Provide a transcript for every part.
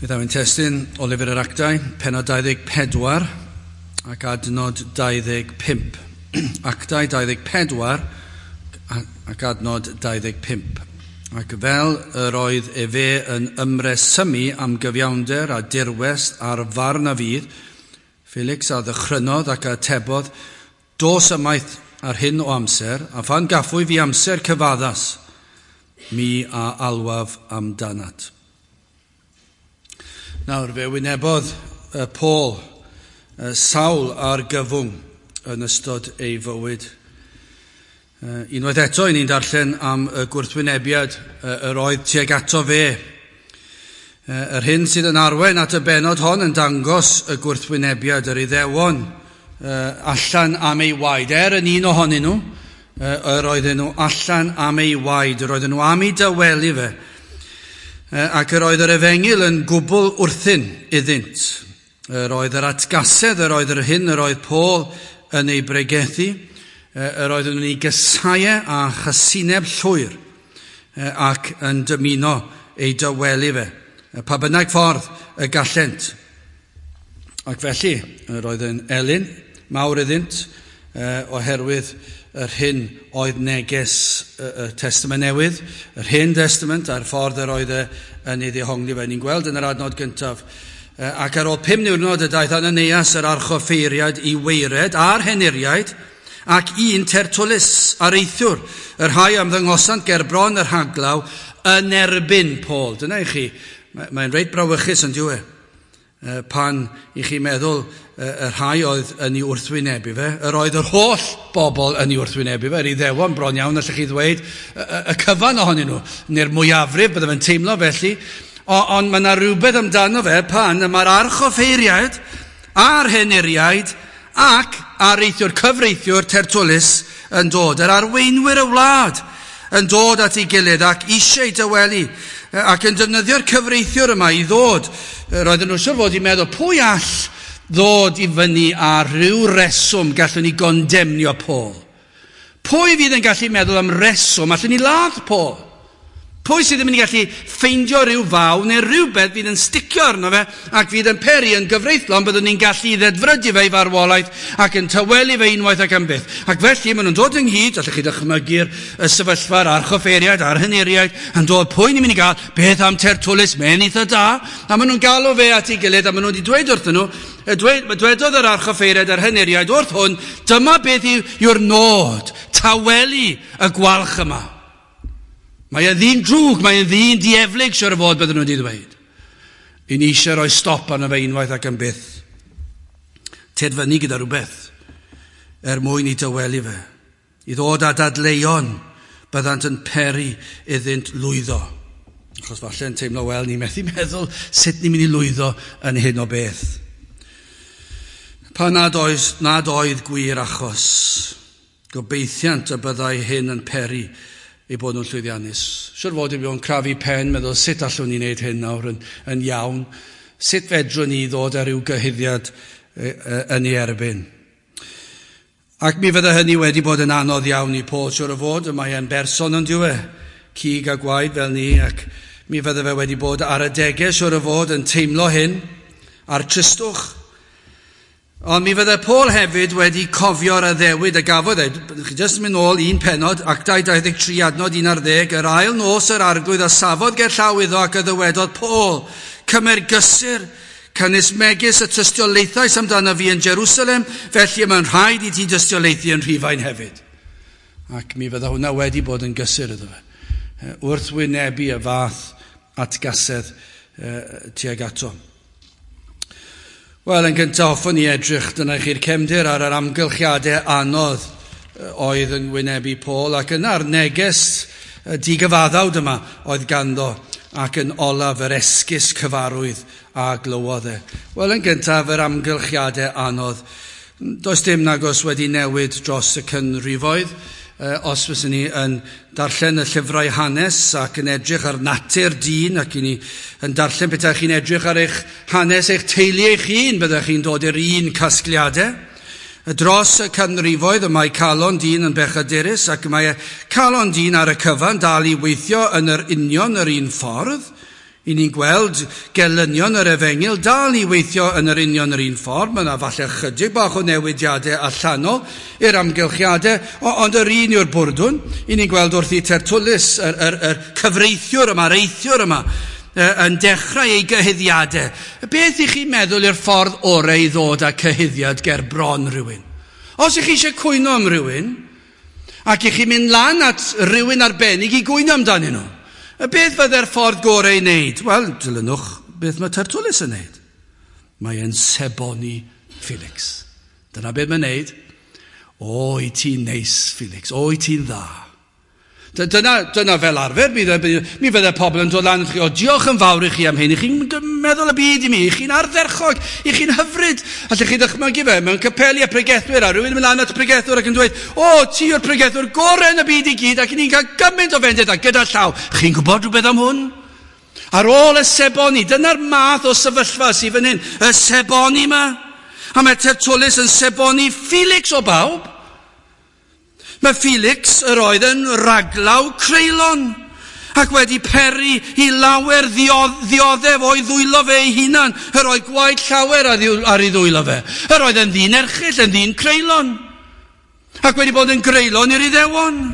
Bydd ein testun o Lyfr yr Actau, pennod 24 ac adnod 25. Actau 24 ac adnod 25. Ac fel yr oedd efe yn ymresymu am gyfiawnder a dirwest a'r farn a fydd, Felix a ddychrynodd ac atebodd, "Dos ymaith ar hyn o amser, a phan gaffwy fi amser cyfaddas, mi a alwaf amdanat." Nawr, fe wynebodd Paul sawl argyfwng yn ystod ei fywyd. Unwaith eto, i ni'n darllen am y gwrthwynebiad yr oedd tuag ato fe. Yr hyn sydd yn arwain at y bennod hon yn dangos y gwrthwynebiad, yr Iddewon allan am ei waed. Er yn un ohonyn nhw, yr oedden nhw allan am ei waed, yr oedden nhw am ei dawelu fe. Ac yr oedd yr efengyl yn gwbl wrthyn iddynt. Yr oedd yr atgasedd, yr oedd yr hyn yr oedd Paul yn ei bregethu, yr oedden nhw'n ei gysau a chasineb llwyr ac yn dymuno ei dawelu fe, pa bynnag ffordd y gallent. Ac felly, yr oedd yn elyn mawr iddynt oherwydd yr hyn oedd neges y Testament Newydd, yr Hen Testament a'r ffordd yr oedd e yn ei ddehongli fe. Ni'n gweld yn yr adnod gyntaf. Ac ar ôl 5 niwrnod y daeth Ananias yr archoffeiriad i weired a'r henuriaid ac un Tertulus areithiwr, y rhai am ddangosant ger bron yr rhaglaw yn erbyn Paul. Dyna i chi, mae'n reit brawychus yn dyw e. Pan i chi meddwl y rhai oedd yn ei wrthwynebu fe, yr oedd yr holl bobl yn ei wrthwynebu fe, yr Iddewon bron iawn, allwch chi ddweud, y cyfan ohonyn nhw, neu'r mwyafrif, bydde fe'n teimlo felly, ond mae yna rhywbeth amdano fe pan mae'r archoffeiriaid a'r henuriaid ac areithiwr cyfreithiwr Tertulus yn dod, yr arweinwyr y wlad yn dod at ei gilydd ac eisiau dawelu ac yn defnyddio'r cyfreithiwr yma i ddod. Roedden nhw siŵr fod i'n meddwl, pwy all ddod i fyny ar ryw reswm gallwn ni gondemnio Paul? Pwy fydd yn gallu meddwl am reswm allwn ni ladd Paul? Pwy sydd ddim yn gallu ffeindio rhyw faw neu rhywbeth fydd yn sticio arno fe ac fydd yn peri yn gyfreithlon byddwn ni'n gallu ddedfrydu fe i farwolaeth ac yn tawelu fe unwaith ac am byth. Ac felly maen nhw'n dod ynghyd, allwch chi ddychmygu'r sefyllfa'r archoffeiriaid a'r henuriaid yn dod, pwy ni'n mynd i gael, beth am Tertulus, mae'n eitha da, a maen nhw'n galw fe at ei gilydd a maen nhw wedi dweud wrthyn nhw, dwedodd yr archoffeiriaid a'r henuriaid wrth hwn, dyma beth yw'r nod, tawelu y gwalch yma. Mae e'n ddyn drwg, mae e'n ddyn dieflig, siwr o fod bydden nhw wedi dweud. I ni eisiau rhoi stop arno fe unwaith ac am byth. Ted fyny gyda rhywbeth er mwyn i dawelu fe. I ddod â dadleuon byddant yn peri iddynt lwyddo. Achos falle yn teimlo, wel, ni methu meddwl sut ni'n mynd i lwyddo yn hyn o beth. Pan nad oedd gwir achos, gobeithiant y byddai hyn yn peri ei bod nhw'n llwyddiannus. Siwr fod i fi o'n crafu pen, meddwl sut allwn ni wneud hyn nawr yn iawn. Sut fedrwn ni ddod ar ryw gyhuddiad yn ei erbyn. Ac mi fydde hynny wedi bod yn anodd iawn i Paul, siwr o fod, mae e'n berson yn dyw e, cig a gwaed fel ni, ac mi fydde fe wedi bod ar adegau, siwr o fod, yn teimlo hyn, a'r tristwch. Ond mi fydde Paul hefyd wedi cofio'r addewid y gafodd e. Chi jyst yn mynd nôl un pennod, Actau 23 adnod 11, yr ail nos yr arglwydd a safodd ger llaw iddo ac a ddywedodd, Paul, cymer gysur, canys megis y tystiolaethais amdano fi yn Jerusalem, felly mae'n rhaid i ti dystiolaethu yn Rhufain hefyd. Ac mi fydde hwnna wedi bod yn gysur iddo fe. Wrth wynebu y fath atgasedd tuag ato. Wel, yn gyntaf, hoffwn i edrych, dyna chi'r cefndir ar yr amgylchiadau anodd oedd yn wynebu Paul, ac yna'r neges digyfaddawd yma oedd ganddo, ac yn olaf yr esgus cyfarwydd a glywodd e. Wel, yn gyntaf, yr amgylchiadau anodd. Does dim nagos wedi newid dros y canrifoedd. Os fyswn ni yn darllen y llyfrau hanes ac yn edrych ar natur dyn, ac i ni yn darllen petai chi'n edrych ar eich hanes eich teulu eich hun, byddech chi'n dod i'r un casgliadau. Dros y canrifoedd y mae calon dyn yn bechadurus, ac mae calon dyn ar y cyfan dal i weithio yn yr union yr un ffordd. I ni'n gweld gelynion yr efengyl dal i weithio yn yr union yr un ffordd. Mae yna falle chydig bach o newidiadau allanol i'r amgylchiadau, ond yr un yw'r bwrdwn. I ni'n gweld wrth i Tertullus, yr cyfreithiwr yma, yr eithiwr yma, yn dechrau ei gyhuddiadau. Beth i chi'n meddwl yw'r ffordd orau i ddod â cyhuddiad ger bron rhywun? Os ych chi eisiau cwyno am rhywun, ac i chi'n mynd lan at rhywun arbennig i gwyno amdanyn nhw, beth fydde'r ffordd gorau i wneud? Wel, dilynwch beth mae Tertullus yn wneud. Mae e'n seboni Felix. Dyna beth mae'n wneud. O, i ti'n neis, Felix. O, i ti'n dda. Dyna fel arfer, mi fydde pobl yn dod lan i chi, o, diolch yn fawr i chi am hyn, i chi'n meddwl y byd i mi, i chi'n ardderchog, i chi'n hyfryd. Allech chi ddychmygu fe mewn capeli a pregethwyr, a rhywun yn mynd lan at y pregethwr ac yn dweud, o, ti yw'r pregethwr gorau yn y byd i gyd, ac ni'n cael gymaint o fendith, a gyda llaw, chi'n gwybod rhywbeth am hwn? Ar ôl y seboni, dyna'r math o sefyllfa sydd fan hyn, y seboni yma. A mae Tertullus yn seboni Felix o bawb. Mae Felix yr oedd yn raglaw creulon ac wedi peri i lawer ddioddef o'i ddwylo fe ei hunan. Yr oedd gwaed llawer ar ei ddwylo fe. Yr oedd yn ddyn erchyll, yn ddyn creulon, ac wedi bod yn greulon i'r Iddewon.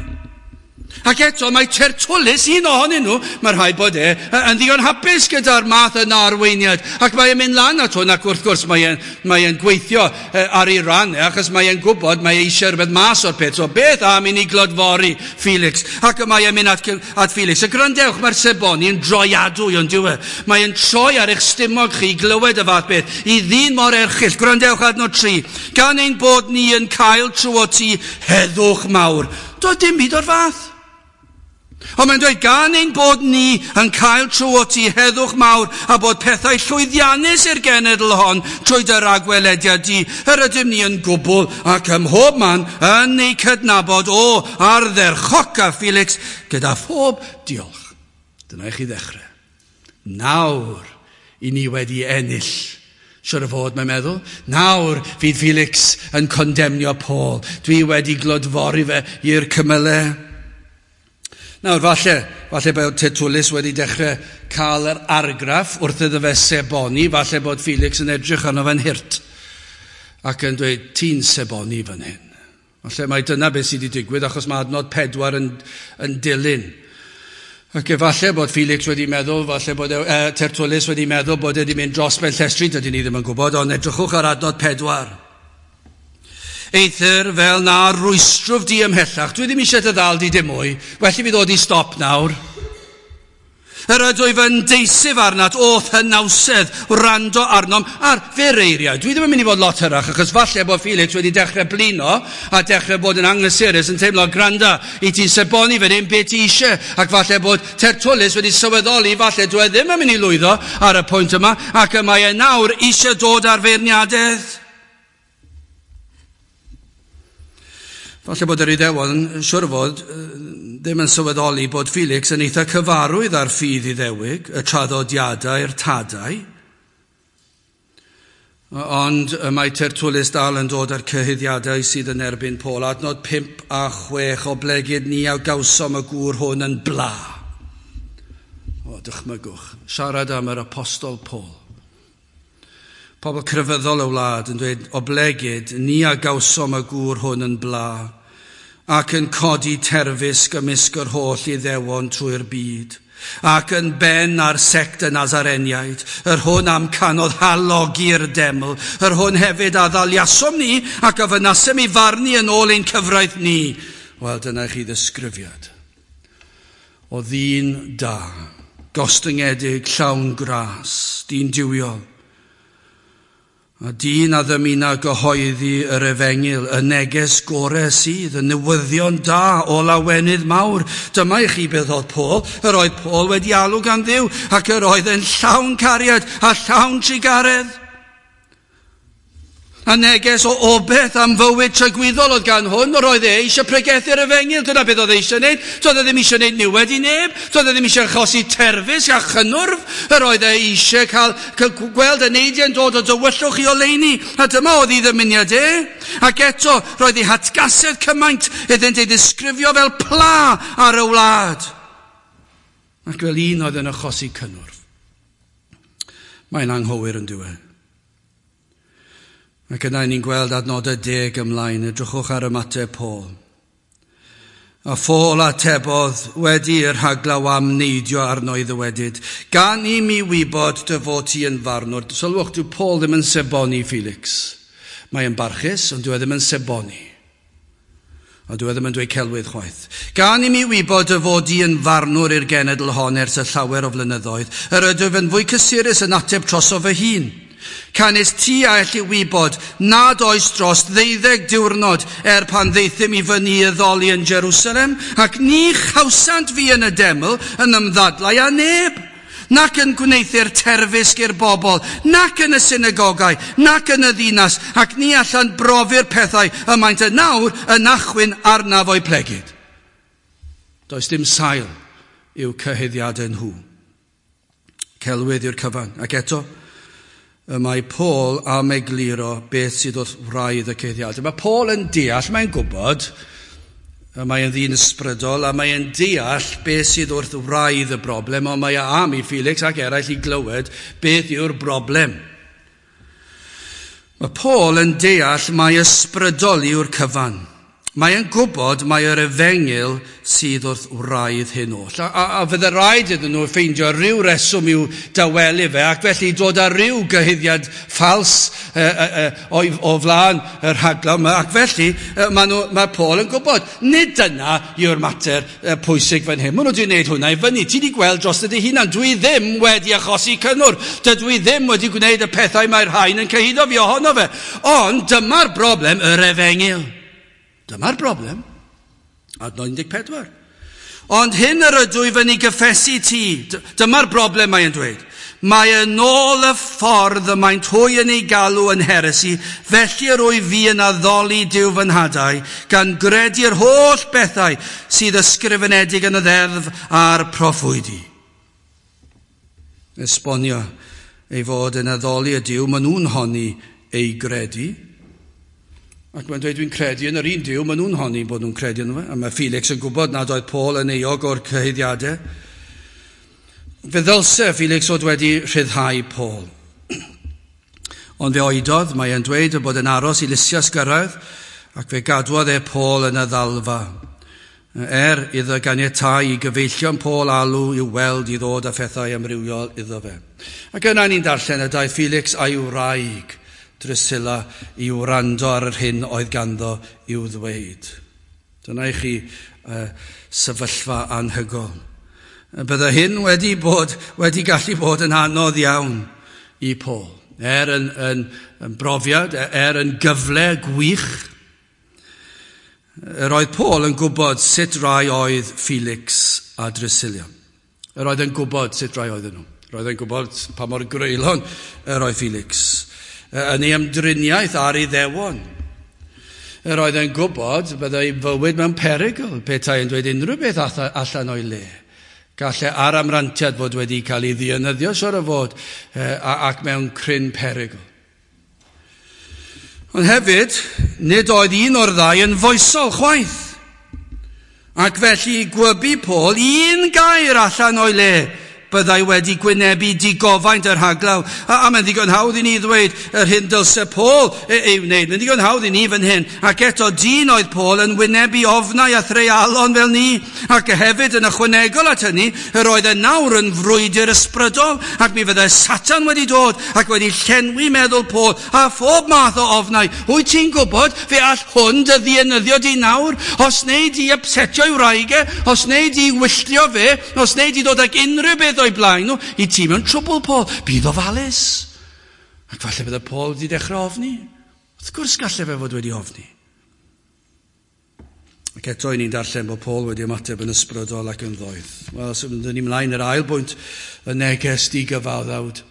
Ac eto mae Tertullus, un ohonyn nhw, mae rhaid bod e yn ddigon hapus gyda'r math yna arweiniad. Ac mae e'n mynd lan at hwn, ac wrth gwrs mae e'n gweithio ar ei ran, achos mae e'n gwybod mae e eisiau rhywbeth mas o'r peth. So beth am i ni glodfori Felix? Ac mae e'n mynd at Felix. A gwrandewch, mae'r seboni yn droiadwy, ond dyw e. Mae e'n troi ar eich stumog chi i glywed y fath beth. I ddyn mor erchyll, gwrandewch adnod 3. Gan ein bod ni yn cael trwy ti heddwch mawr. Doedd dim byd o'r fath. Ond mae'n dweud, gan ein bod ni yn cael trwy ti heddwch mawr a bod pethau llwyddiannus i'r genedl hon trwy dy ragwelediad di, yr ydym ni yn gwbl ac ym mhob man yn ei cydnabod o ardderchoca Felix gyda phob diolch. Dyna i chi ddechrau. Nawr i ni wedi ennill. Siwr o fod, mae'n meddwl. Nawr fydd Felix yn condemnio Paul. Dwi wedi glodfori fe i'r cymylau. Nawr, falle bod Tertullus wedi dechrau cael yr argraff wrth iddo fe seboni, falle bod Felix yn edrych arno fe'n hurt ac yn dweud, ti'n seboni fan hyn. Falle mai dyna beth sydd wedi digwydd, achos mae adnod 4 yn dilyn. Ac efallai bod Felix wedi meddwl, falle bod Tertullus wedi meddwl bod e wedi mynd dros ben llestri, dydyn ni ddim yn gwybod, ond edrychwch ar adnod 4. Eithr fel na rwystrwf di ymhellach, dwi ddim eisiau dy ddal di dim mwy, well i fi ddod i stop nawr. Yr ydw i fy ndeisif arnat, o'th hynawsedd, wrando arnom ar fyr eiriau. Dwi ddim yn mynd i fod lot hyrach, achos falle bod Felix wedi dechrau blino a dechrau bod yn anghysurus yn teimlo, granda, i ti'n seboni fan hyn beth ti eisiau. Ac falle bod Tertullus wedi sylweddoli, falle dwi ddim yn mynd i lwyddo ar y pwynt yma, ac y mae e nawr eisiau dod ar feirniadaeth. Falle bod yr Iddewon yn siwr fod ddim yn sylweddoli bod Felix yn eitha cyfarwydd ar ffydd Iddewig, y traddodiadau'r tadau. Ond mae Tertullus dal yn dod â'r cyhuddiadau sydd yn erbyn Paul. Adnod 5 a 6, oblegid ni a gawsom y gŵr hwn yn bla. O, dychmygwch, siarad am yr apostol Paul. Pobl crefyddol y wlad yn dweud, oblegid ni a gawsom y gŵr hwn yn bla, ac yn codi terfysg ymysg yr holl Iddewon trwy'r byd, ac yn ben ar sect y Nazareniaid, yr hwn amcanodd halogi'r deml, yr hwn hefyd a ddaliasom ni ac a fynasem i farnu yn ôl ein cyfraith ni. Wel, dyna chi ddisgrifiad o ddyn da, gostyngedig, llawn gras, dyn duwiol, a dyn a ddymuna gyhoeddi yr efengyl, y neges gore sydd, y newyddion da o lawenydd mawr. Dyma i chi beth oedd Paul. Yr oedd Paul wedi alw gan Dduw, ac yr oedd yn llawn cariad a llawn trugaredd. A neges o obeth am fywyd tragwyddol oedd gan hwn, yr oedd e eisiau pregethu'r efengyl, dyna beth oedd e eisiau gwneud. Doedd e ddim eisiau gwneud niwed i neb, doedd e ddim eisiau achosi terfysg a chynnwrf, yr oedd e eisiau cael gweld y neidiau'n dod o dywyllwch i oleuni, a dyma oedd ei ddymuniad e. Ac eto, roedd ei hatgasedd cymaint iddynt ei ddisgrifio fel pla ar y wlad, ac fel un oedd yn achosi cynnwrf. Mae'n anghywir yn diwedd. Ac yna ni'n gweld adnodau 10 ymlaen, edrychwch ar ymateb Paul. A Phaul atebodd wedi i'r rhaglaw am neidio arno i ddywedyd, gan i mi wybod dy fod ti yn farnwr. Sylwch, dyw Paul ddim yn seboni Felix. Mae yn barchus, ond dyw e ddim yn seboni. Ond dyw e ddim yn dweud celwydd chwaith. Gan i mi wybod dy fod i yn farnwr i'r genedl hon ers y llawer o flynyddoedd, yr ydwyf yn fwy cysurus yn ateb troso fy hun. Canys ti a elli wybod nad oes dros 12 diwrnod er pan ddeithym i fyny i addoli yn Jerusalem, ac ni chawsant fi yn y deml yn ymddadlau â neb, nac yn gwneuthur terfysg i'r bobl, nac yn y synagogau, nac yn y ddinas, ac ni allan brofi'r pethau y maent yn nawr yn achwyn arnaf o'i plegid. Does dim sail i'w cyhuddiadau nhw. Celwydd yw'r cyfan. Ac eto, y mae Paul am egluro beth sydd wrth wraidd y cyhuddiadau. Mae Paul yn deall, mae'n gwybod, mae yn ddyn ysbrydol, a mae'n deall beth sydd wrth wraidd y broblem, ond mae am i Felix ac eraill i glywed beth yw'r broblem. Mae Paul yn deall mai ysbrydol yw'r cyfan. Mae'n gwybod mai yr efengyl sydd wrth wraidd hyn oll. A fydde rhaid iddyn nhw ffeindio rhyw reswm i'w dawelu fe, ac felly dod â rhyw gyhuddiad ffals o flaen y rhaglaw yma. Ac felly mae Paul yn gwybod, nid dyna yw'r mater pwysig fan hyn. Maen nhw wedi gwneud hwnna i fyny. Ti wedi gweld dros dy hunan. Dwi ddim wedi achosi cynnwr. Dydw i ddim wedi gwneud y pethau mae'r rhain yn cyhuddo fi ohono fe. Ond dyma'r broblem, yr efengyl. Dyma'r broblem. Adnod 14. Ond hyn yr ydw i fyny gyffesu ti. Dyma'r broblem mae'n dweud. Mae yn ôl y ffordd y maent hwy yn ei galw yn heresi, felly yr wyf fi yn addoli Duw fy nhadau, gan gredu'r holl bethau sydd ysgrifenedig yn y ddeddf a'r proffwydi. Esbonio ei fod yn addoli y Duw, maen nhw'n honni ei gredu. Ac mae'n dweud, dwi'n credu yn yr un Duw, maen nhw'n honni bod nhw'n credu ynddo fe. A mae Felix yn gwybod nad oedd Paul yn euog o'r cyhuddiadau. Fe ddylse Felix fod wedi rhyddhau Paul. Ond fe oedodd, mae e'n dweud y bod yn aros i Lysias gyrraedd, ac fe gadwodd e Paul yn y ddalfa. Er iddo ganiatáu i gyfeillion Paul alw i'w weld i ddod â phethau amrywiol iddo fe. Ac yna ni'n darllen y daeth Felix a'i wraig Drusilla i wrando ar yr hyn oedd ganddo i'w ddweud. Dyna i chi sefyllfa anhygoel. Bydde hyn wedi gallu bod yn anodd iawn i Paul. Er yn brofiad, er yn gyfle gwych. Yr oedd Paul yn gwybod sut rai oedd Felix a Drusilla. Yr oedd yn gwybod sut rai oedden nhw. Yr oedd yn gwybod pa mor greulon yr oedd Felix yn ei ymdriniaeth ar ei ddewon. Yr oedd yn gwybod byddai fywyd mewn perygl petai yn dweud unrhyw beth allan o'i le. Gallai ar amrantiad fod wedi cael ei ddienyddio, siŵr o fod, ac mewn cryn perygl. Ond hefyd, nid oedd un o'r ddau yn foesol chwaith. Ac felly gwybu Paul un gair allan o'i le byddai wedi gwynebu digofaint yr rhaglaw. A mae'n ddigon hawdd i ni ddweud yr hyn dylse Paul ei wneud. Mae'n ddigon hawdd i ni fan hyn. Ac eto dyn oedd Paul yn wynebu ofnau a threialon fel ni. Ac hefyd yn ychwanegol at hynny, yr oedd e nawr yn frwydr ysbrydol. Ac mi fyddai Satan wedi dod ac wedi llenwi meddwl Paul a phob math o ofnau. Wyt ti'n gwybod fe all hwn dy ddienyddio di nawr? Os neu di upsetio i wraig e, os neu di wylltio fe, os neu di dod ag unrhyw beth o'i blaen nhw, i ti mewn trwbl, Paul. Bydd ofalus. Ac falle bydde Paul wedi dechrau ofni. Wrth gwrs gallai fe fod wedi ofni. Ac eto i ni'n darllen bod Paul wedi ymateb yn ysbrydol ac yn ddoeth. Wel, symudwn ni mlaen yr ail bwynt, y neges digyfaddawd.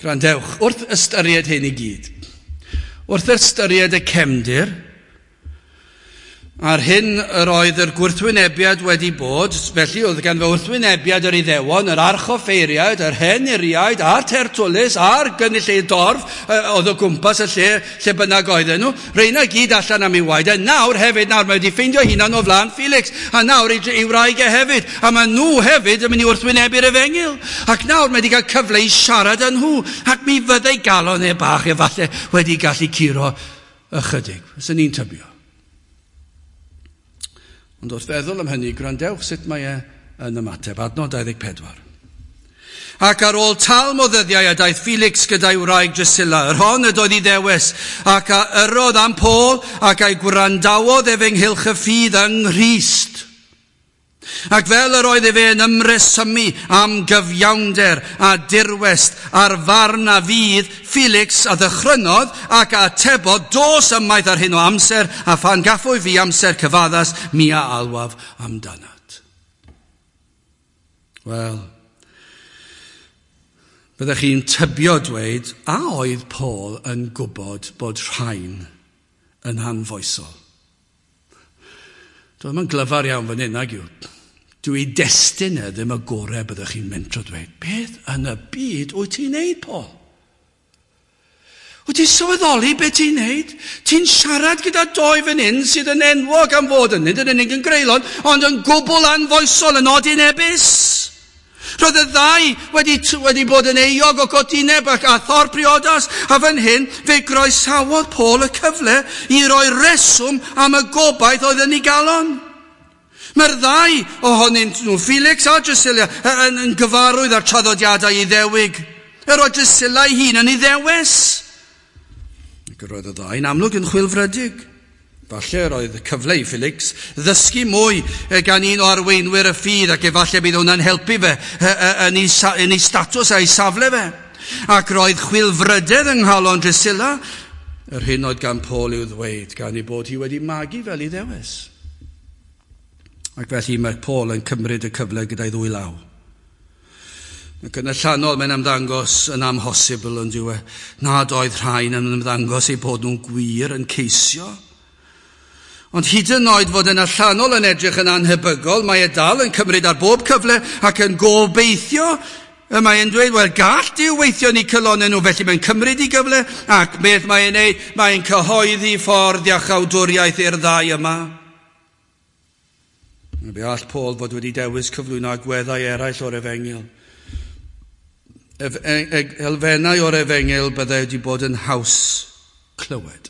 Gwrandewch, wrth ystyried hyn i gyd, wrth ystyried y cefndir, A'r hyn yr oedd yr gwrthwynebiad wedi bod, felly oedd gan fy wrthwynebiad yr Iddewon, yr archoffeiriaid, yr henuriaid, a'r Tertulus, a'r gynulleid dorf oedd o gwmpas y lle, lle bynnag oedden nhw, reina gyd allan am ei waed, a nawr hefyd, nawr mae wedi ffeindio hunan o flaen Felix, a nawr ei wraig e hefyd, a mae nhw hefyd yn mynd i wrthwynebu'r efengyl, ac nawr mae wedi cael cyfle i siarad â nhw, ac mi fyddai galon e bach efallai wedi gallu curo ychydig, fyswn ni'n tybio. Ond wrth feddwl am hynny, gwrandewch sut mae e yn ymateb. Adnod 24. Ac ar ôl talm o ddyddiau a daeth Felix gyda'i wraig Drusilla, yr hon ydoedd Iddewes, ac a yrrodd am Paul ac a'i gwrandawodd ef ynghylch y ffydd yng Nghrist. Ac fel yr oedd efe yn ymresymu am gyfiawnder a dirwest a'r farn a fydd, Felix a ddychrynodd ac a atebodd, dos ymaith ar hyn o amser, a phan gaffwy fi amser cyfaddas, mi a alwaf amdanat. Wel, byddech chi'n tybio dweud, a oedd Paul yn gwybod bod rhain yn anfoesol? Dwi ddim yn glyfar iawn fan hyn, nag yw. Dwi destun e ddim y gorau byddwch chi'n mentro dweud. Beth yn y byd wyt ti'n neud, Paul? Wyt ti'n sylweddoli beth ti'n neud? Ti'n siarad gyda doi fan hyn sydd yn enwog am fod yn nid yn unig yn greulon, ond yn gwbl anfoesol, yn odinebus. Roedd y ddau wedi bod yn euog o godineb ac a thor priodas, a fan hyn fe groesawodd Paul y cyfle i roi reswm am y gobaith oedd yn ei galon. Mae'r ddau ohonynt nhw, Felix a Drusilla, yn gyfarwydd â'r traddodiadau Iddewig. Yr oedd Drusilla ei hun yn Iddewes. Ac yr oedd y ddau'n amlwg yn chwilfrydig. Falle roedd y cyfle i Felix ddysgu mwy gan un o arweinwyr y ffydd, ac efallai bydd hwnna'n helpu fe yn ei statws a'i safle fe. Ac roedd chwilfrydedd yng nghalon Drusilla, yr hyn oedd gan Paul i'w ddweud, gan ei bod hi wedi magu fel Iddewes. Ac felly mae Paul yn cymryd y cyfle gyda'i ddwy law. Ac yn allanol mae'n ymddangos yn amhosibl yn dyw e, nad oedd rhain yn ymddangos eu bod nhw'n gwir yn ceisio. Ond hyd yn oed fod yn allanol yn edrych yn anhebygol, mae e dal yn cymryd ar bob cyfle ac yn gobeithio. Y mae e'n dweud, wel, gall Duw weithio yn eu calonnau nhw, felly mae'n cymryd ei gyfle, ac beth mae'n ei wneud? Mae'n cyhoeddi ffordd iachawdwriaeth i'r ddau yma. Fe all Paul fod wedi dewis cyflwyno agweddau eraill o'r efengyl. Elfennau o'r efengyl byddai wedi bod yn haws clywed.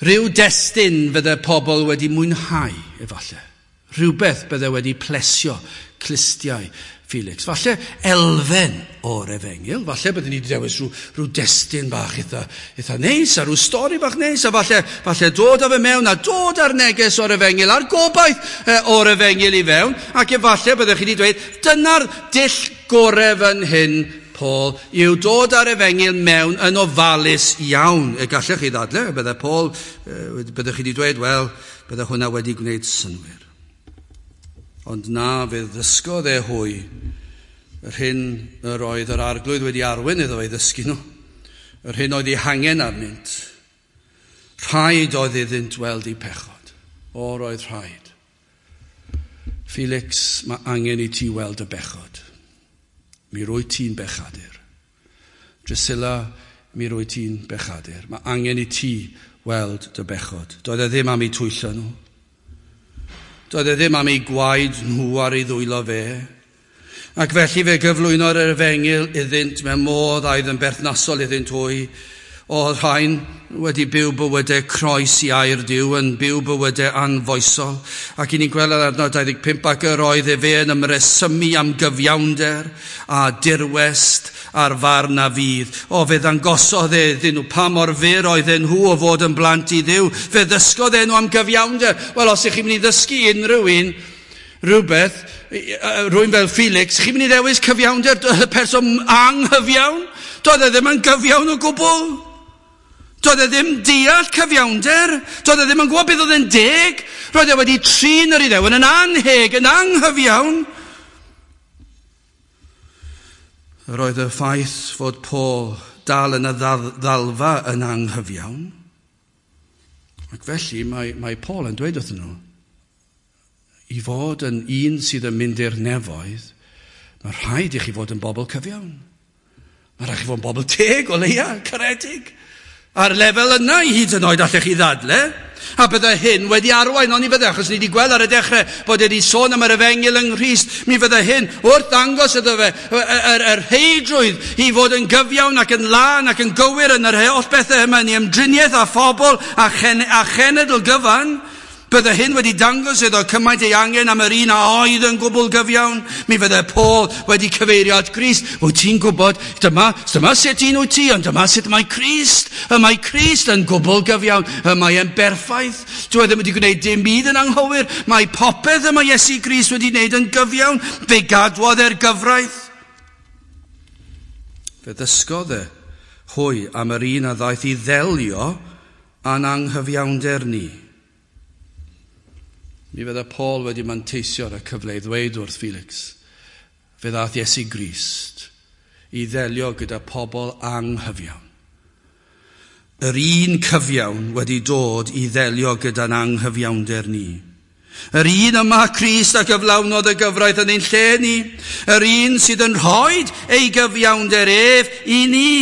Rhyw destun fydde pobl wedi mwynhau, efallai. Rhywbeth bydde wedi plesio clustiau Felix. Falle elfen o'r efengyl, falle bydden ni wedi dewis rhyw destun bach eitha neis, a rhyw stori bach neis, a falle dod â fe mewn, a dod â'r neges o'r efengyl, a'r gobaith o'r efengyl i fewn, ac efallai byddech chi wedi dweud, dyna'r dull gorau fan hyn, Paul, yw dod â'r efengyl mewn yn ofalus iawn. Y gallech chi ddadle, bydde Paul, byddech chi wedi dweud, wel, bydde hwnna wedi gwneud synnwyr. Ond na, fe ddysgodd e hwy yr hyn yr oedd yr arglwydd wedi arwain iddo ei ddysgu nhw, yr hyn oedd ei hangen arnynt. Rhaid oedd iddynt weld eu pechod. O, roedd rhaid. Felix, mae angen i ti weld y bechod. Mi rwy ti'n bechadur. Drusilla, mi rwy ti'n bechadur. Mae angen i ti weld dy bechod. Doedd e ddim am eu twyllo nhw. Doedd e ddim am eu gwaed nhw ar ei ddwylo fe. Ac felly fe gyflwyno'r efengyl iddynt mewn modd oedd yn berthnasol iddynt hwy. Oedd rhain wedi byw bywydau croes i air Duw, yn byw bywydau anfoesol. Ac i ni'n gweld ar adnod 25, ac yr oedd efe yn ymresymu am gyfiawnder a dirwest a'r farn a fydd. O, fe ddangosodd e iddyn nhw pa mor fyr oedden nhw o fod yn blant i Dduw. Fe ddysgodd e nhw am gyfiawnder. Wel, os ych chi'n mynd i ddysgu unrhyw un rhywbeth, rhywun fel Felix, chi'n mynd i ddewis cyfiawnder y person anghyfiawn? Doedd e ddim yn gyfiawn o gwbl. Doedd e ddim deall cyfiawnder. Doedd e ddim yn gwybod beth oedd yn deg. Roedd e wedi trin yr Iddewon yn anheg, yn anghyfiawn. Roedd y ffaith fod Paul dal yn y ddalfa yn anghyfiawn. Ac felly mae Paul yn dweud wrthyn nhw, i fod yn un sydd yn mynd i'r nefoedd, mae rhaid i chi fod yn bobl cyfiawn. Mae rhaid i chi fod yn bobl teg o leia, caredig. Ar lefel yna i hyd yn oed allech chi ddadle. A bydde hyn wedi arwain, ond i fydde, achos ni wedi gweld ar y dechrau bod wedi sôn am yr efengyl yng Nghrist, mi fydde hyn wrth ddangos iddo fe yr heidrwydd i fod yn gyfiawn ac yn lân ac yn gywir yn yr holl bethau yma, yn ei ymdriniaeth â phobl a chenedl gyfan. Bydde hyn wedi dangos iddo cymaint ei angen am yr un a oedd yn gwbl gyfiawn. Mi fydde Paul wedi cyfeirio at Grist. Wyt ti'n gwybod, dyma sut un wyt ti, ond dyma sut mae Crist. Y mae Crist yn gwbl gyfiawn. Y mae e'n berffaith. Dyw e ddim wedi gwneud dim byd yn anghywir. Mae popeth y mae Iesu Grist wedi wneud yn gyfiawn. Fe gadwodd e'r gyfraith. Fe ddysgodd e hwy am yr un a ddaeth i ddelio â'n anghyfiawnder ni. Mi fydde Paul wedi manteisio ar y cyfle i ddweud wrth Felix, fe ddaeth Iesu Grist i ddelio gyda pobl anghyfiawn. Yr un cyfiawn wedi dod i ddelio gyda'n anghyfiawnder ni. Yr un yma Crist a gyflawnodd y gyfraith yn ein lle ni. Yr un sydd yn rhoi ei gyfiawnder ef i ni.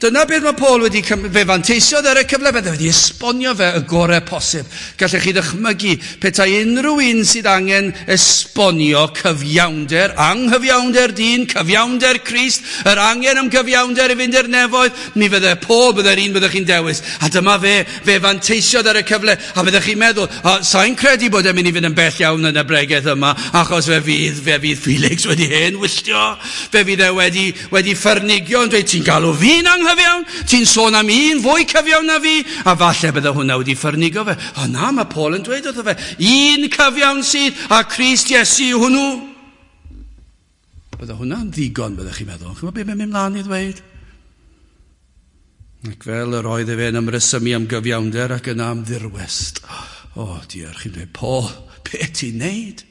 Dyna beth mae Paul wedi, fe fanteisiodd ar y cyfle, fe wedi esbonio fe y gorau posib. Gallech chi ddychmygu petai unrhyw un sydd angen esbonio cyfiawnder, anghyfiawnder dyn, cyfiawnder Crist, yr angen am gyfiawnder i fynd i'r nefoedd, mi fydde Paul, bydde'r un byddech chi'n dewis. A dyma fe fanteisiodd ar y cyfle, a byddech chi'n meddwl, sa'n credu bod e'n mynd i fynd yn bell iawn yn y bregeth yma, achos fe fydd Felix wedi hen wylltio, fe fydd e wedi ffyrnigio yn dweud, ti'n galw fi'n anghyfiawn? Ti'n sôn am un fwy cyfiawn na fi? A falle bydde hwnna wedi ffyrnigo fe. O na, mae Paul yn dweud wrtho fe, un cyfiawn sydd, a Crist Iesu yw hwnnw. Bydde hwnna'n ddigon, byddech chi'n meddwl. Chi'n gwybod beth mae'n mynd mlaen i ddweud? Ac fel yr oedd efe yn ymresymu am gyfiawnder ac yna am ddirwest. O, diar, chi'n dweud, Paul, be ti'n neud?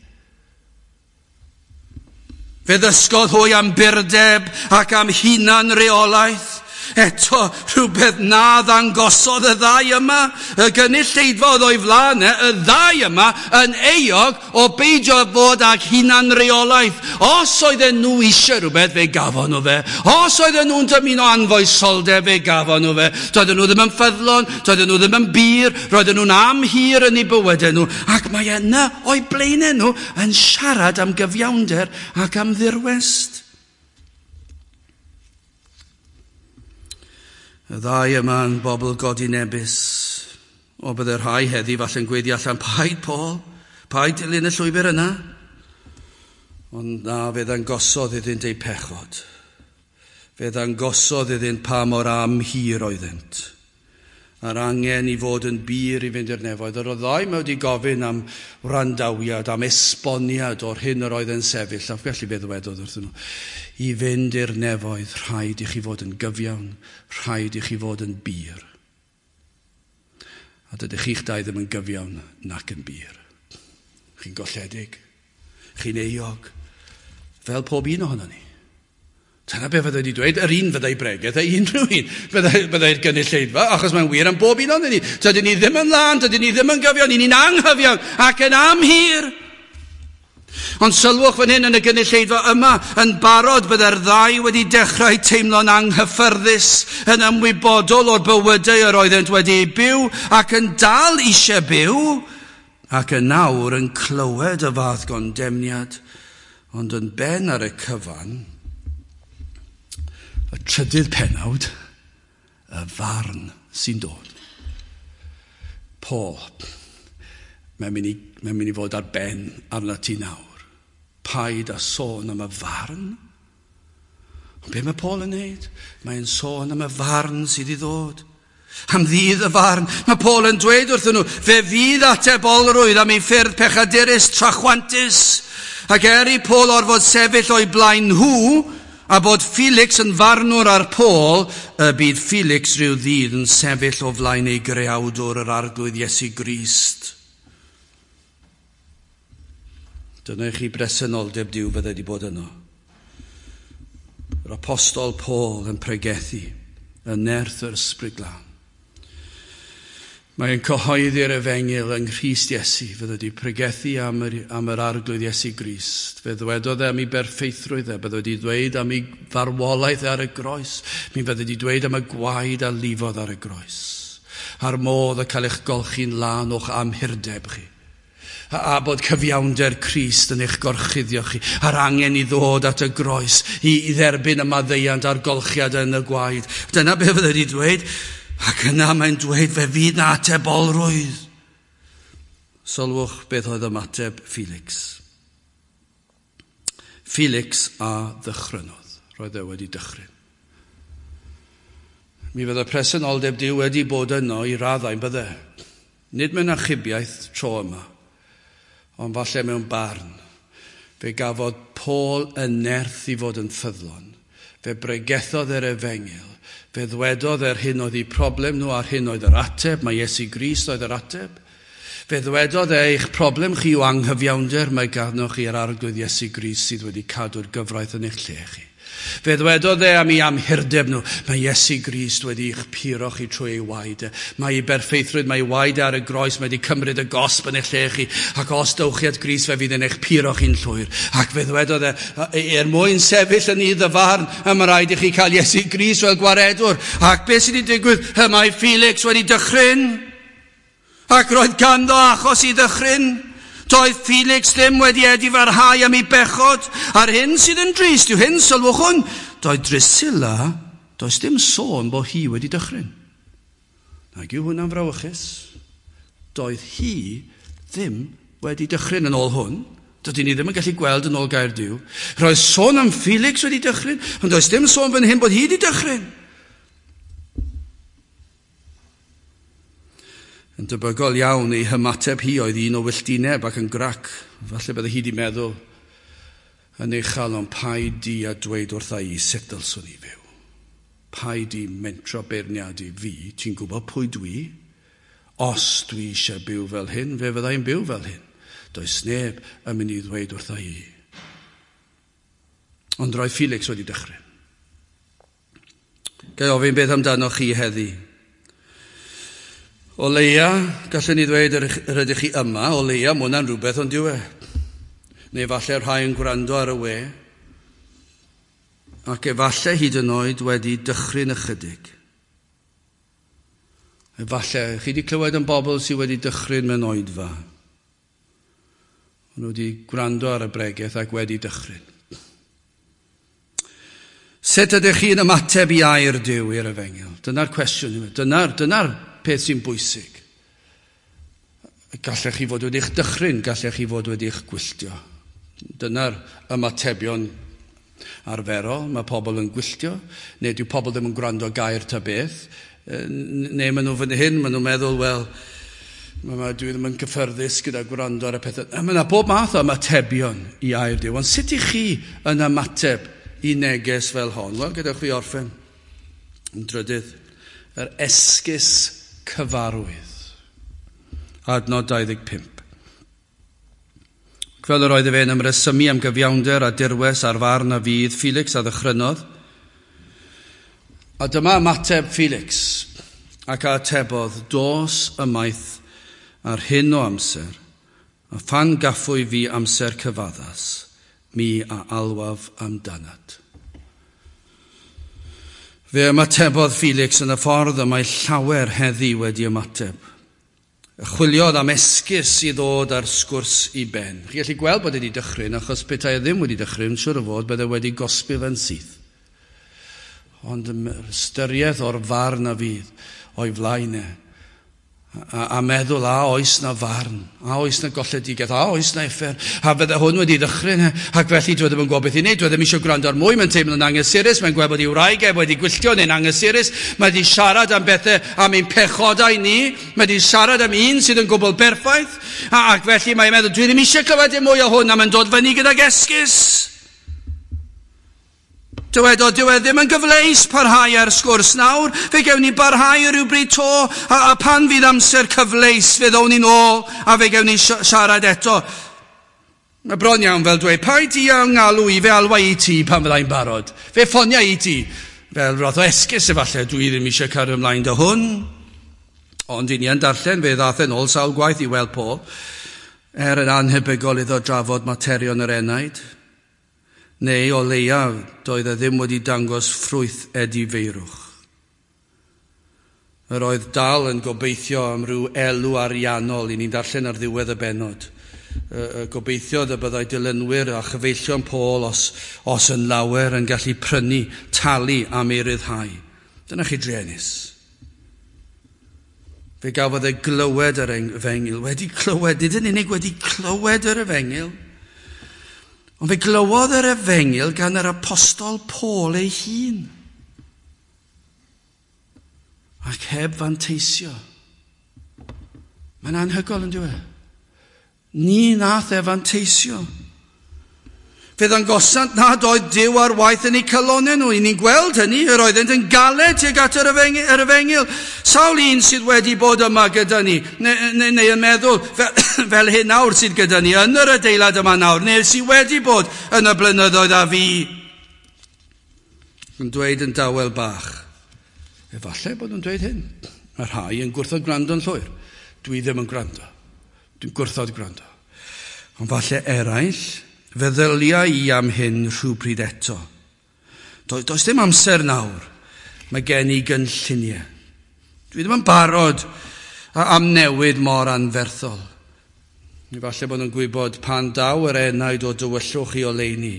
Fe ddysgodd hwy am burdeb ac am hunan reolaeth. Eto, rhywbeth na ddangosodd y ddau yma, y gynulleidfa oedd o'i flaen, y ddau yma yn euog o beidio fod ag hunanreolaeth. Os oedden nhw eisiau rhywbeth, fe gafon nhw fe. Os oedden nhw'n dymuno anfoesoldeb, fe gafon nhw fe. Doedden nhw ddim yn ffyddlon, doedden nhw ddim yn bur, roedden nhw'n amhir yn eu bywydau nhw. Ac mae yna o'i blaenau nhw yn siarad am gyfiawnder ac am ddirwest. Y ddau yma yn bobl godinebus. O, bydde rhai heddi falle'n gweiddi allan, paid Paul, paid dilyn y llwybr yna. Ond na, fe ddangosodd iddynt eu pechod. Fe ddangosodd iddynt pa mor amhir oeddynt. A'r angen i fod yn bur i fynd i'r nefoedd. Yr oedd ddau mae wedi gofyn am wrandawiad, am esboniad o'r hyn yr oedd yn sefyll. A felly fe ddywedodd wrthyn nhw, i fynd i'r nefoedd, rhaid i chi fod yn gyfiawn, rhaid i chi fod yn bur. A dydych chi'ch dau ddim yn gyfiawn nac yn bur. Chi'n golledig, chi'n euog, fel pob un ohono ni. Dyna be fydde wedi dweud, yr un fyddai bregeth a unrhyw un fyddai'r gynulleidfa, achos mae'n wir am bob un ohonon ni. Dydyn ni ddim yn lân, dydyn ni ddim yn gyfiawn, ni'n anghyfiawn ac yn amhir. Ond sylwch fan hyn yn y gynulleidfa yma, yn barod bydde'r ddau wedi dechrau teimlo'n anghyffyrddus, yn ymwybodol o'r bywydau yr oeddent wedi eu byw ac yn dal eisiau byw, ac yn nawr yn clywed y fath gondemniad, ond yn ben ar y cyfan, y trydydd penawd, y farn sy'n dod. Paul, mae'n mynd i fod ar ben arna ti nawr. Paid a sôn am y farn. Ond be mae Paul yn neud? Mae'n sôn am y farn sydd i ddod. Am ddydd y farn. Mae Paul yn dweud wrthyn nhw, fe fydd atebolrwydd am ei ffyrdd pechadurus trachwantus. Ac er i Paul orfod sefyll o'i blaen nhw, a bod Felix yn farnwr ar Paul, y bydd Felix rhyw ddydd yn sefyll o flaen ei greawdwr yr Arglwydd Iesu Grist. Dyna i chi bresenoldeb Duw fydde wedi bod yno. Yr apostol Paul yn pregethu yn nerth yr Ysbryd Glân. Mae'n cyhoeddi'r efengyl yng Nghrist Iesu. Fe wedi pregethu am yr arglwydd Iesu Grist. Fe ddwedodd e am ei berffeithrwydd e. Bydde wedi dweud am ei farwolaeth ar y groes. Mi fydde wedi dweud am y gwaed a lifodd ar y groes. A'r modd y cael eich golchi'n lân o'ch amhurdeb chi. A bod cyfiawnder Crist yn eich gorchuddio chi. A'r angen i ddod at y groes, i dderbyn y maddeuant a'r golchiad yn y gwaed. Dyna be fydde wedi dweud. Ac yna mae'n dweud fe fydd na atebolrwydd. Sylwch beth oedd ymateb Felix. Felix a ddychrynodd. Roedd e wedi dychryn. Mi fydde presenoldeb Duw wedi bod yno i raddau bydde. Nid mewn achubiaeth tro yma, ond falle mewn barn. Fe gafodd Paul y nerth i fod yn ffyddlon. Fe bregethodd yr efengyl. Fe ddwedodd yr hyn oedd eu problem nhw a'r hyn oedd yr ateb. Mae Iesu Grist oedd yr ateb. Fe ddwedodd eich problem chi yw anghyfiawnder. Mae ganddoch chi yr arglwydd Iesu Grist sydd wedi cadw'r gyfraith yn eich lle chi. Fe ddwedodd e am ei amhurdeb nhw. Mae Iesu Grist wedi eich puro chi trwy ei waed e. Mae ei berffeithrwydd, mae ei waed ar y groes, mae wedi cymryd y gosb yn eich lle chi. Ac os dowch chi at Grist, fe fydd yn eich puro chi'n llwyr. Ac fe ddwedodd e, er mwyn sefyll yn ei ddyfarn, mae rhaid i chi cael Iesu Grist fel gwaredwr. Ac beth sydd wedi digwydd? Mae Felix wedi dychryn. Ac roedd ganddo achos i ddychryn. Doedd Felix ddim wedi edifarhau am ei bechod. A'r hyn sydd yn drist yw hyn, sylwch hwn. Doedd Drusilla, does dim sôn bod hi wedi dychryn. Nag yw hwnna'n frawychus. Doedd hi ddim wedi dychryn yn ôl hwn. Dydyn ni ddim yn gallu gweld yn ôl gair Duw. Roedd sôn am Felix wedi dychryn, ond does dim sôn fan hyn bod hi wedi dychryn. Yn debygol iawn ei hymateb hi oedd un o wylltineb ac yn grac. Falle bydde hi wedi meddwl yn ei chalon, paid di a dweud wrtha i sut dylswn i fyw. Paid di mentro beirniadu fi, ti'n gwybod pwy dwi? Os dwi eisiau byw fel hyn, fe fyddai'n byw fel hyn. Does neb yn mynd i ddweud wrtha i. Ond roedd Felix wedi dechrau. Gai ofyn beth amdanoch chi heddi? O leia, gallwn ni ddweud yr ydych chi yma, o leia, mae hwnna'n rhywbeth ond dyw e. Neu falle rhai yn gwrando ar y we, ac efallai hyd yn oed wedi dychryn ychydig. Efallai, chi wedi clywed yn bobl sydd wedi dychryn mewn oedfa. Maen nhw wedi gwrando ar y bregeth ac wedi dychryn. Sut ydych chi'n ymateb i air Duw i'r efengyl? Dyna'r cwestiwn. Dyna'r peth sy'n bwysig. Gallech chi fod wedi'ch dychryn, gallech chi fod wedi'ch gwylltio. Dyna'r ymatebion arferol. Mae pobl yn gwylltio, neu dyw pobl ddim yn gwrando gair ta beth. Neu maen nhw fan hyn, maen nhw'n meddwl, wel, dwi ddim yn cyffyrddus gyda gwrando ar y pethau. Mae yna bob math o ymatebion i air Duw. Ond sut i chi yn ymateb i neges fel hon? Wel, gadewch fi orffen. Yn drydydd, yr esgus cyfarwydd. Adnod 25. Fel yr oedd efe yn ymresymu am gyfiawnder a dirwes a'r farn a fydd, Felix a ddychrynodd. A dyma ymateb Felix, ac a atebodd, dos ymaith ar hyn o amser, a phan gaffwy fi amser cyfaddas, mi a alwaf amdanat. Fe ymatebodd Felix yn y ffordd y mae llawer heddi wedi ymateb. Chwiliodd am esgus i ddod ar sgwrs i ben. Chi'n gallu gweld bod wedi dychryn, achos petai e ddim wedi dychryn, siŵr o fod, bydde wedi gosbi fe'n syth. Ond ystyriaeth o'r farn a fydd o'i flaen e. A meddwl, a oes na farn, a oes na golledigaeth, a oes na uffern, a fydde hwn wedi ddychryn, ac felly dwi ddim yn gwybod beth i wneud, dwi ddim eisiau gwrando ar mwy, mae'n teimlo'n anghysurus, mae'n gweld bod ei wraig e wedi gwylltio neu'n anghysurus, mae wedi siarad am bethau, am ein pechodau ni, mae wedi siarad am un sydd yn gwbl berffaith, ac felly mae'n meddwl, dwi ddim eisiau clywed dim mwy o hwn, a mae'n dod fyny gydag esgus. Dywedodd, dyw e ddim yn gyfleus parhau ar sgwrs nawr, fe gewn ni barhau rhywbryd to, a pan fydd amser cyfleus, fe ddown ni'n ôl, a fe gewn ni siarad eto. Mae bron iawn fel dweud, paid di ngalw i, fe alwa i ti pan fyddai'n barod. Fe ffonia i ti, fel roth o esgus efallai, dwi ddim eisiau cario ymlaen dy hwn. Ond i ni yn darllen, fe ddath e'n ôl sawl gwaith i weld Paul, er yn anhebygol iddo drafod materion yr enaid, neu o leiaf doedd e ddim wedi dangos ffrwyth edifeirwch. Yr oedd dal yn gobeithio am ryw elw ariannol i ni'n darllen ar ddiwedd y bennod. Gobeithiodd y byddai dilynwyr a chyfeillion Paul os yn lawer yn gallu prynu, talu am ei ryddhau. Dyna chi druenus. Fe gafodd e glywed yr efengyl, wedi clywed, nid yn unig wedi clywed yr efengyl, ond fe glywodd yr efengyl gan yr apostol Paul ei hun. Ac heb fanteisio. Mae'n anhygoel yn dweud. Ni nath e fanteisio. Fe ddangosant nad oedd Duw ar waith yn eu calonau nhw. I ni'n gweld hynny, yr oeddent yn galed tuag at yr efengyl. Sawl un sydd wedi bod yma gyda ni, neu yn meddwl fel hyn nawr sydd gyda ni, yn yr adeilad yma nawr, neu sydd wedi bod yn y blynyddoedd a fi. Yn dweud yn dawel bach. Efallai bod nhw'n dweud hyn. Mae rhai yn gwrthod gwrando'n llwyr. Dwi ddim yn gwrando. Dwi'n gwrthod gwrando. Ond falle eraill, feddylia i am hyn rhywbryd eto. Does dim amser nawr. Mae gen i gynlluniau. Dwi ddim yn barod am newid mor anferthol. Efallai bod nhw'n gwybod pan daw yr enaid o dywyllwch i oleuni,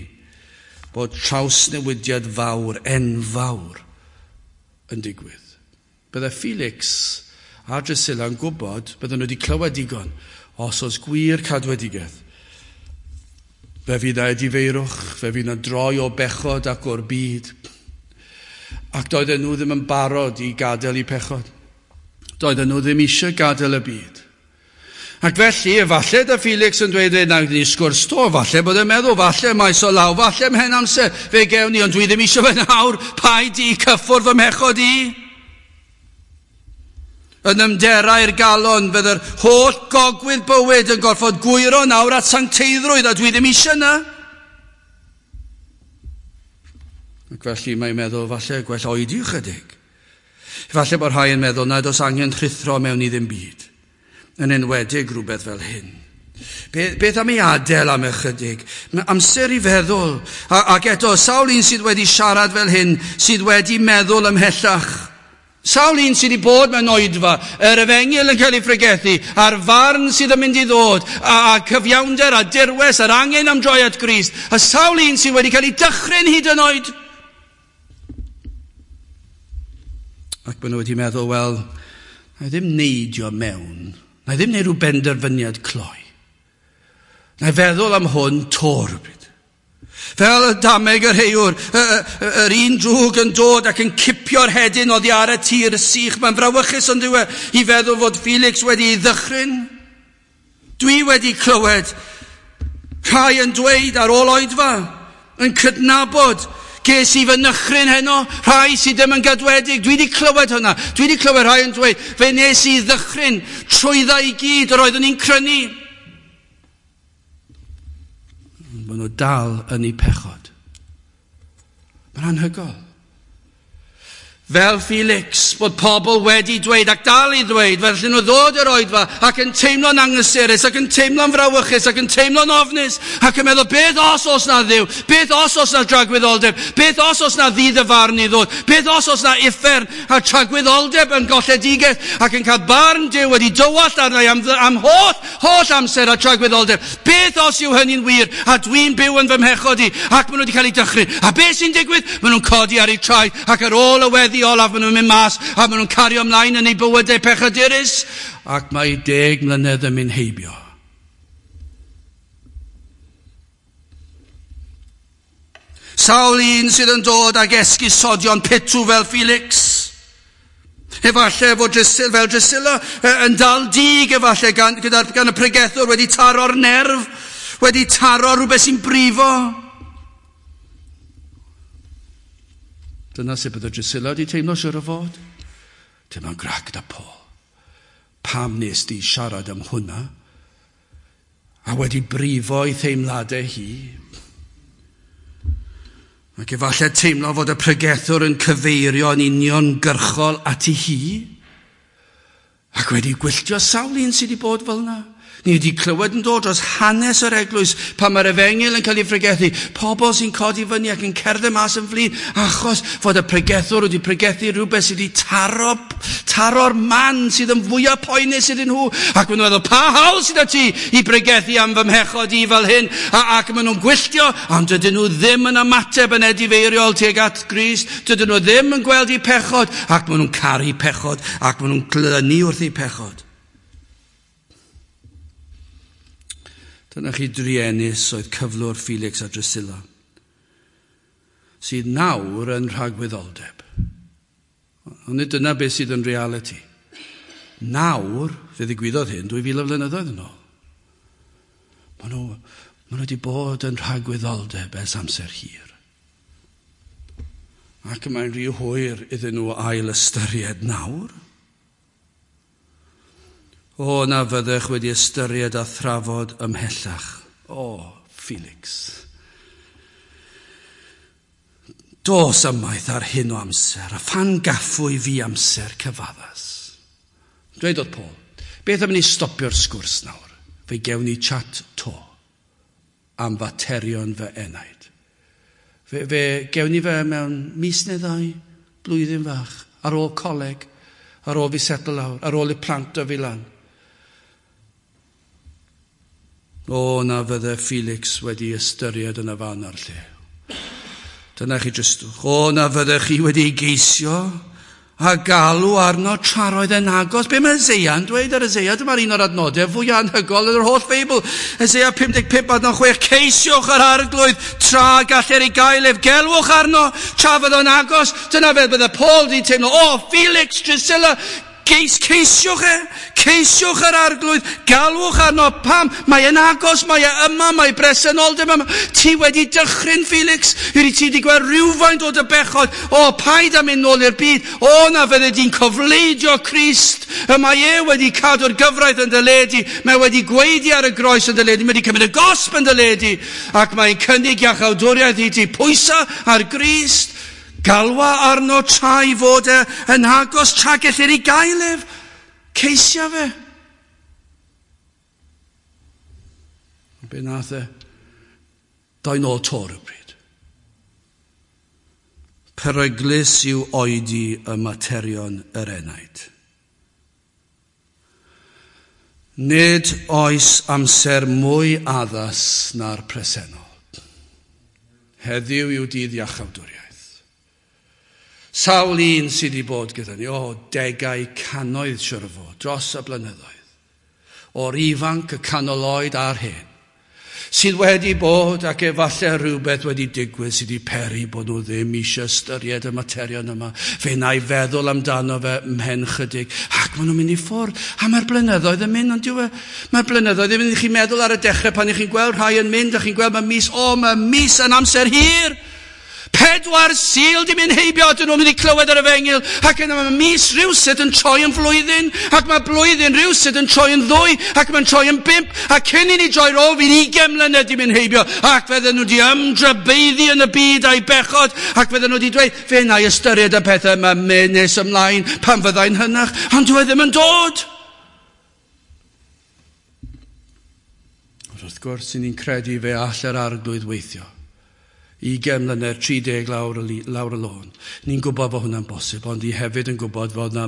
bod trawsnewidiad fawr, enfawr, yn digwydd. Bydde Felix a Drusilla yn gwybod, bydden nhw wedi clywed digon, os oes gwir cadwedigaeth. Fe fydd na edifeirwch, fe fydd na droi o bechod ac o'r byd. Ac doedden nhw ddim yn barod i gadael eu pechod. Doedden nhw ddim eisiau gadael y byd. Ac felly, efallai da Felix yn dweud, na ni sgwrs to, falle bod e'n meddwl, falle maes o law, falle mhen amser, fe gewn ni, ond dwi ddim eisiau fe nawr, paid i cyffwrdd fy mhechod i. Yn ymderau'r galon, bydd yr holl gogwydd bywyd yn gorfod gwyro nawr at sancteiddrwydd, a dwi ddim eisiau yna. Ac felly mae'n meddwl, falle gwell oedi ychydig. Falle bod rhai yn meddwl nad oes angen rhuthro mewn i ddim byd, yn enwedig rhywbeth fel hyn. Beth am ei adael am ychydig? Amser i feddwl. Ac eto, sawl un sydd wedi siarad fel hyn, sydd wedi meddwl ymhellach. Sawl un sydd wedi bod mewn oedfa, yr efengyl yn cael ei phregethu, a'r farn sydd yn mynd i ddod, a cyfiawnder a dirwes, a'r angen am droi at Grist, a sawl un sydd wedi cael ei dychryn hyd yn oed. Ac maen nhw wedi meddwl, wel, na i ddim neidio mewn, na i ddim neud rhyw benderfyniad cloi. Na i feddwl am hwn to rhywbryd. Fel y dameg yr heiwr, yr un drwg yn dod ac yn cipio'r hedyn oddi ar y tir sych. Mae'n frawychus ond yw e i feddwl fod Felix wedi ei ddychryn. Dwi wedi clywed rhai yn dweud ar ôl oedfa, yn cydnabod, ges i fy nychryn heno, rhai sydd ddim yn gadwedig. Dwi wedi clywed hwnna. Dwi wedi clywed rhai yn dweud, fe nes i ddychryn trwydda i gyd yr oeddwn i'n crynu. Maen nhw dal yn eu pechod. Mae'n anhygoel. Fel Felix, bod pobl wedi dweud ac dal i ddweud, fel allan nhw ddod i'r oedfa ac yn teimlo'n anghysurus, ac yn teimlo'n frawychus, ac yn teimlo'n ofnus, ac yn meddwl, beth os oes na Dduw? Beth os oes na dragwyddoldeb? Beth os oes na ddydd y farn i ddod? Beth os oes na uffern a tragwyddoldeb yn golledigaeth ac yn cael barn Duw wedi dywallt arna i am holl amser a tragwyddoldeb? Beth os yw hynny'n wir a dwi'n byw yn fy mhechod i ac maen nhw wedi cael eu dychryn? A beth sy'n digwydd? Maen nhw'n codi ar eu traed ac ar ôl y weddi olaf maen nhw'n mynd mas a maen nhw'n cario ymlaen yn eu bywydau pechadurus ac mae 10 mlynedd yn mynd heibio. Sawl un sydd yn dod ag esgusodion pitw fel Felix. Efallai fod Drusilla, fel Drusilla yn dal dig efallai gan y pregethwr wedi taro'r nerf, wedi taro rhywbeth sy'n brifo. Dyna sut bydde Drusilla wedi teimlo siŵr o fod. Teimlo'n grac da Paul. Pam nes di siarad am hwnna? A wedi brifo ei theimladau hi. Ac efallai teimlo fod y pregethwr yn cyfeirio yn uniongyrchol ati hi. Ac wedi gwylltio sawl un sydd wedi bod fel yna. Ni wedi clywed yn dod dros hanes yr eglwys pan mae'r efengyl yn cael ei phregethu. Pobl sy'n codi fyny ac yn cerdded mas yn flin achos fod y pregethwr wedi pregethu rhywbeth sydd wedi taro'r man sydd yn fwyaf poenus iddyn nhw. Ac maen nhw'n meddwl, pa hawl sydd â ti i pregethu am fy mhechod i fel hyn? Ac maen nhw'n gwylltio, ond dydyn nhw ddim yn ymateb yn edifeiriol tuag at Grist. Dydyn nhw ddim yn gweld eu pechod, ac maen nhw'n caru pechod, ac maen nhw'n glynu wrth eu pechod. Dyna chi druenus oedd cyflwr Felix a Drusilla, sydd nawr yn rhagwyddoldeb. Ond nid dyna beth sydd yn reality. Nawr, fe ddigwyddodd hyn 2000 o flynyddoedd yn ôl. Maen nhw wedi bod yn rhagwyddoldeb ers amser hir. Ac mae'n rhy hwyr iddyn nhw ail ystyried nawr. O, na fyddech wedi ystyried a thrafod ymhellach. O, Felix. Dos ymaith ar hyn o amser, a phan gaffwy fi amser cyfaddas. Dweud oedd Paul, beth am ni stopio'r sgwrs nawr? Fe gewn ni chat to am faterion fy enaid. Fe gewn ni fe mewn mis neu ddau, blwyddyn fach, ar ôl coleg, ar ôl fi setlo lawr, ar ôl i plant o fi lan. O, na fydde Felix wedi ystyried yn y fan a'r lle. Dyna chi dristwch. O, na fydde chi wedi geisio a galw arno tra roedd e'n agos. Be mae Eseia'n dweud ar Eseia? Dyma'r un o'r adnodau fwyaf anhygoel yn yr holl Feibl. Eseia 55 adnod 6. Ceisiwch yr arglwydd tra galler ei gael ef. Gelwch arno tra fydd o'n agos. Dyna fel bydde Paul wedi teimlo. O, Felix, Drusilla, ceisiwch e, ceisiwch yr arglwydd, galwch arno pam, mae e'n agos, mae e yma, mae bresenoldeb yma. Ti wedi dychryn, Felix, ydy ti wedi gweld rhywfaint o dy bechod, o, paid am mynd nôl i'r byd, o, na fydde di'n cofleidio Crist, y mae e wedi cadw'r gyfraith yn dy le di, mae wedi gweidi ar y groes yn dy le di, mae wedi cymryd y gosb yn dy le di, ac mae'n cynnig iachawdwriaeth i ti, pwysa ar Grist. Galwa arno tra i fod e yn agos, tra gellir ei gael ef. Ceisia fe. Be nath e? Doi nôl to rhywbryd. Peryglus yw oedi y materion yr enaid. Nid oes amser mwy addas na'r presennol. Heddiw yw dydd iachawdwriaeth. Sawl un sydd wedi bod gyda ni, o, degau cannoedd siwr o fod, dros y blynyddoedd, o'r ifanc, y canol oed a'r hen, sydd wedi bod ac efallai rhywbeth wedi digwydd sydd wedi peri bod nhw ddim eisiau ystyried y materion yma. Fe wna i feddwl amdano fe mhen chydig, ac maen nhw'n mynd i ffwrdd. A mae'r blynyddoedd yn mynd, ond dyw e? Mae'r blynyddoedd yn mynd, chi'n meddwl ar y dechrau pan chi'n gweld rhai yn mynd, a chi'n gweld mae mis, o, mae mis yn amser hir. 4 Sul di mynd heibio, dyn nhw'n mynd i clywed yr efengyl, ac yna mae mis rhywsut yn troi yn flwyddyn, ac mae blwyddyn rhywsut yn troi yn 2, ac mae'n troi yn 5, a cyn i ni droi rôl fi'n 20 mlynedd di mynd heibio, ac fydden nhw di ymdrybeiddi yn y byd a'i bechod, ac fydden nhw di dweud, fe wna i ystyried y pethau yma nes ymlaen pan fyddai'n hynach, ond dyw e ddim yn dod. Wrth gwrs, ni'n credu fe all yr arglwydd weithio. 20 mlynedd, 30 lawr y lôn. Ni'n gwybod bod hwnna'n bosib, ond ni hefyd yn gwybod fod yna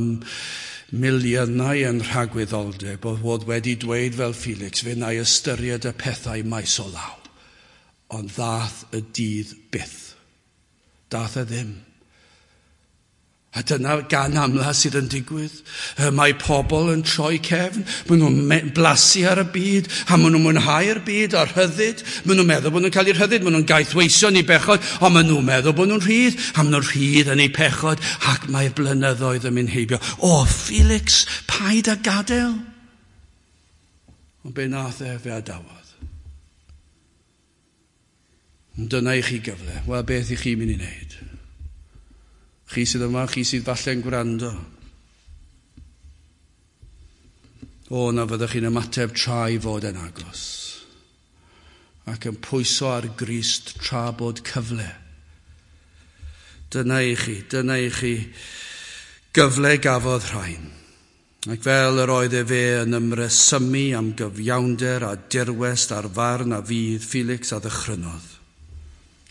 miliynau yn rhagwyddoldeb bod fod wedi dweud fel Felix, fe wna i ystyried y pethau maes o law. Ond ddath y dydd byth. Dath e ddim. A dyna gan amla sydd yn digwydd. Mae pobl yn troi cefn, maen nhw'n blasu ar y byd, a maen nhw'n mwynhau'r byd a'r rhyddid. Maen nhw'n meddwl bod nhw'n cael eu rhyddid, maen nhw'n gaethweision i bechod, ond maen nhw'n meddwl bod nhw'n rhydd, a maen nhw'n rhydd yn eu pechod, ac mae'r blynyddoedd yn mynd heibio. O, Felix, paid â gadael. Ond be nath e, fe adawodd. Dyna i chi gyfle. Wel, beth i chi mynd i wneud? Chi sydd yma, chi sydd falle'n gwrando. O, na fyddwch chi'n ymateb tra i fod yn agos. Ac yn pwyso ar Grist tra bod cyfle. Dyna i chi gyfle gafodd rhain. Ac fel yr oedd efe yn ymresymu am gyfiawnder a dirwest a'r farn a fydd, Felix a ddychrynodd.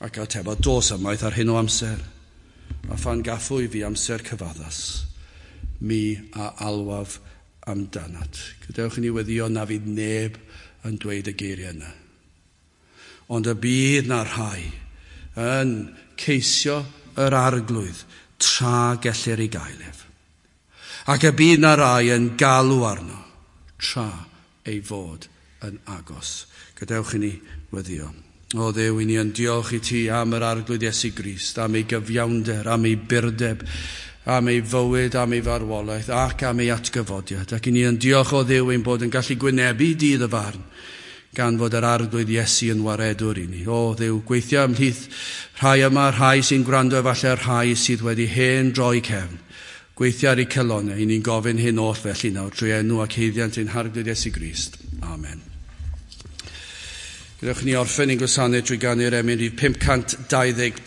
Ac atebodd, dos ymaith ar hyn o amser, a phan gaffwy fi amser cyfaddas, mi a alwaf amdanat. Gadewch i ni weddio na fydd neb yn dweud y geiriau yna. Ond y bydd na rhai yn ceisio yr arglwydd tra gellir ei gael ef. Ac y bydd na rai yn galw arno tra ei fod yn agos. Gadewch i ni weddio. O Dduw, i ni yn diolch i ti am yr arglwydd Iesu Grist, am ei gyfiawnder, am ei burdeb, am ei fywyd, am ei farwolaeth ac am ei atgyfodiad. Ac i ni yn diolch o Dduw ein bod yn gallu gwynebu dydd y farn, gan fod yr arglwydd Iesu yn waredwr i ni. O Dduw, gweithio ymhlith rhai yma, rhai sy'n gwrando efallai, rhai sydd wedi hen droi cefn. Gweithio ar eu calonnau, i ni'n gofyn hyn oll felly nawr trwy enw ac haeddiant ein harglwydd Iesu Grist. Amen. Gadewch ni orffen ein gwasanaeth drwy ganu'r emyn rhif 525.